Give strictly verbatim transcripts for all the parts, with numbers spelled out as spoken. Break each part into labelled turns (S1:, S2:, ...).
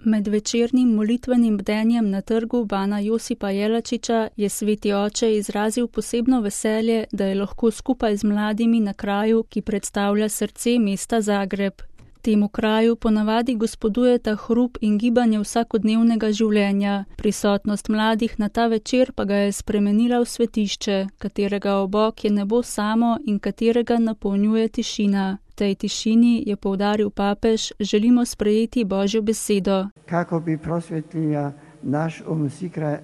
S1: Med večernim molitvenim bdenjem na trgu Bana Josipa Jelačiča je sveti oče izrazil posebno veselje, da je lahko skupaj z mladimi na kraju, ki predstavlja srce mesta Zagreb. Temu kraju ponavadi gospodujeta hrup in gibanje vsakodnevnega življenja. Prisotnost mladih na ta večer pa ga je spremenila v svetišče, katerega obok je nebo samo in katerega napolnjuje tišina. V tej tišini, je poudaril papež, želimo sprejeti Božjo besedo.
S2: Kako bi prosvetlila naš um,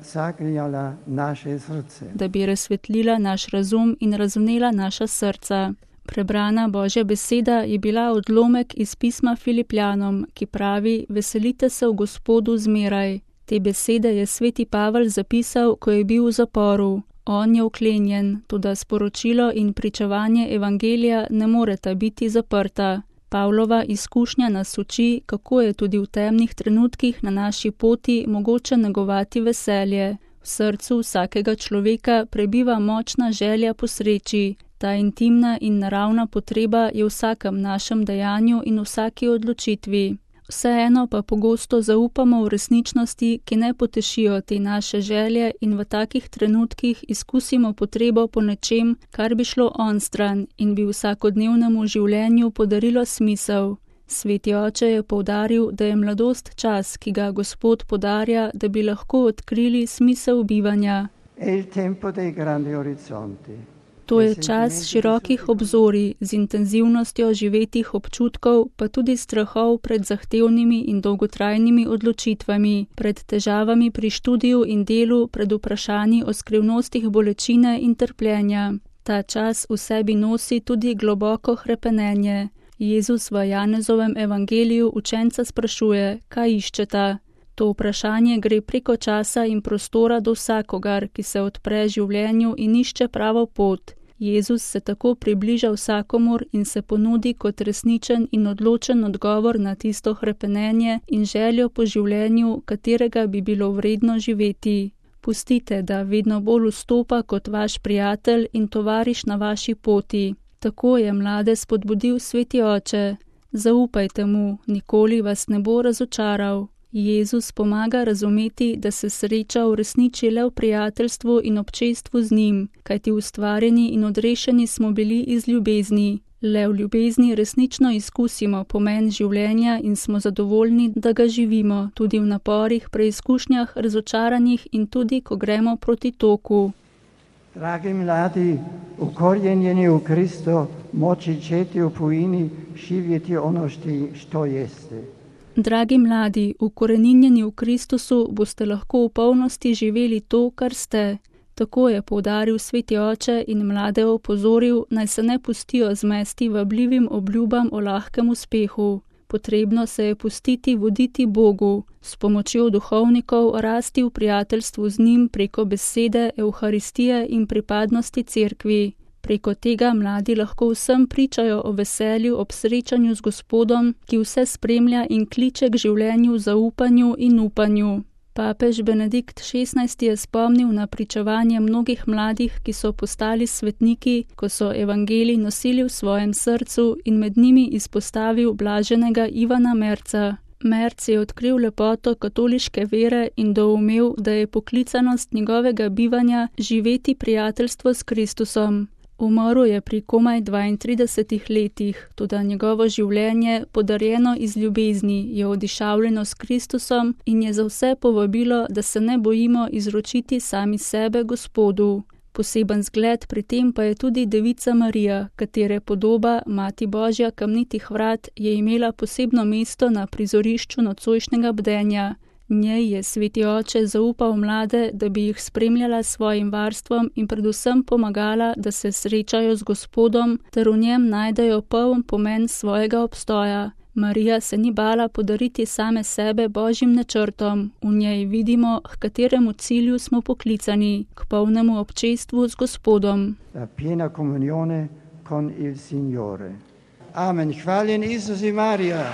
S2: zagrijala naše srce.
S1: Da bi razsvetlila naš razum in razvnela naša srca. Prebrana Božja beseda je bila odlomek iz pisma Filipljanom, ki pravi: veselite se v Gospodu zmeraj. Te besede je sveti Pavel zapisal, ko je bil v zaporu. On je vklenjen, toda sporočilo in pričevanje evangelija ne moreta biti zaprta. Pavlova izkušnja nas uči, kako je tudi v temnih trenutkih na naši poti mogoče negovati veselje. V srcu vsakega človeka prebiva močna želja po sreči. Ta intimna in naravna potreba je v vsakem našem dejanju in vsaki odločitvi. Vseeno pa pogosto zaupamo v resničnosti, ki ne potešijo te naše želje, in v takih trenutkih izkusimo potrebo po nečem, kar bi šlo onstran in bi vsakodnevnemu življenju podarilo smisel. Sveti oče je poudaril, da je mladost čas, ki ga Gospod podarja, da bi lahko odkrili smisel bivanja.
S2: Il tempo dei grandi orizzonti.
S1: To je čas širokih obzorij z intenzivnostjo živetih občutkov, pa tudi strahov pred zahtevnimi in dolgotrajnimi odločitvami, pred težavami pri študiju in delu, pred vprašanji o skrivnostih bolečine in trpljenja. Ta čas v sebi nosi tudi globoko hrepenenje. Jezus v Janezovem evangeliju učenca sprašuje, kaj iščeta. To vprašanje gre preko časa in prostora do vsakogar, ki se odpre življenju in išče pravo pot. Jezus se tako približa vsakomur in se ponudi kot resničen in odločen odgovor na tisto hrepenenje in željo po življenju, katerega bi bilo vredno živeti. Pustite, da vedno bolj vstopa kot vaš prijatelj in tovariš na vaši poti. Tako je mlade spodbudil sveti oče. Zaupajte mu, nikoli vas ne bo razočaral. Jezus pomaga razumeti, da se sreča uresniči le v prijateljstvu in občestvu z njim, kajti ustvarjeni in odrešeni smo bili iz ljubezni. Le v ljubezni resnično izkusimo pomen življenja in smo zadovoljni, da ga živimo, tudi v naporih, preizkušnjah, razočaranjih in tudi, ko gremo proti toku.
S2: Dragi mladi, ukorjenjeni u Kristo, moći ćete u pojini živjeti ono što jeste.
S1: Dragi mladi, ukoreninjeni v Kristusu, boste lahko v polnosti živeli to, kar ste. Tako je poudaril sveti oče in mlade opozoril, naj se ne pustijo zmesti vabljivim obljubam o lahkem uspehu. Potrebno se je pustiti voditi Bogu, s pomočjo duhovnikov rasti v prijateljstvu z njim preko besede, evharistije in pripadnosti cerkvi. Preko tega mladi lahko vsem pričajo o veselju ob srečanju z Gospodom, ki vse spremlja in kliče k življenju v zaupanju in upanju. Papež Benedikt šestnajsti je spomnil na pričevanje mnogih mladih, ki so postali svetniki, ko so evangelij nosili v svojem srcu, in med njimi izpostavil blaženega Ivana Merca. Merc je odkril lepoto katoliške vere in doumel, da je poklicanost njegovega bivanja živeti prijateljstvo s Kristusom. Umrl je pri komaj dvaintridesetih letih, toda njegovo življenje, podarjeno iz ljubezni, je odišavljeno s Kristusom in je za vse povabilo, da se ne bojimo izročiti sami sebe Gospodu. Poseben zgled pri tem pa je tudi Devica Marija, katere podoba, Mati Božja kamnitih vrat, je imela posebno mesto na prizorišču nocojšnjega bdenja. Njej je sveti oče zaupal mlade, da bi jih spremljala s svojim varstvom in predvsem pomagala, da se srečajo z Gospodom, ter v njem najdejo poln pomen svojega obstoja. Marija se ni bala podariti same sebe Božjim načrtom. V njej vidimo, k kateremu cilju smo poklicani, k polnemu občestvu z Gospodom.
S2: La piena comunione con il Signore. Amen. Hvaljen Isus i Marija.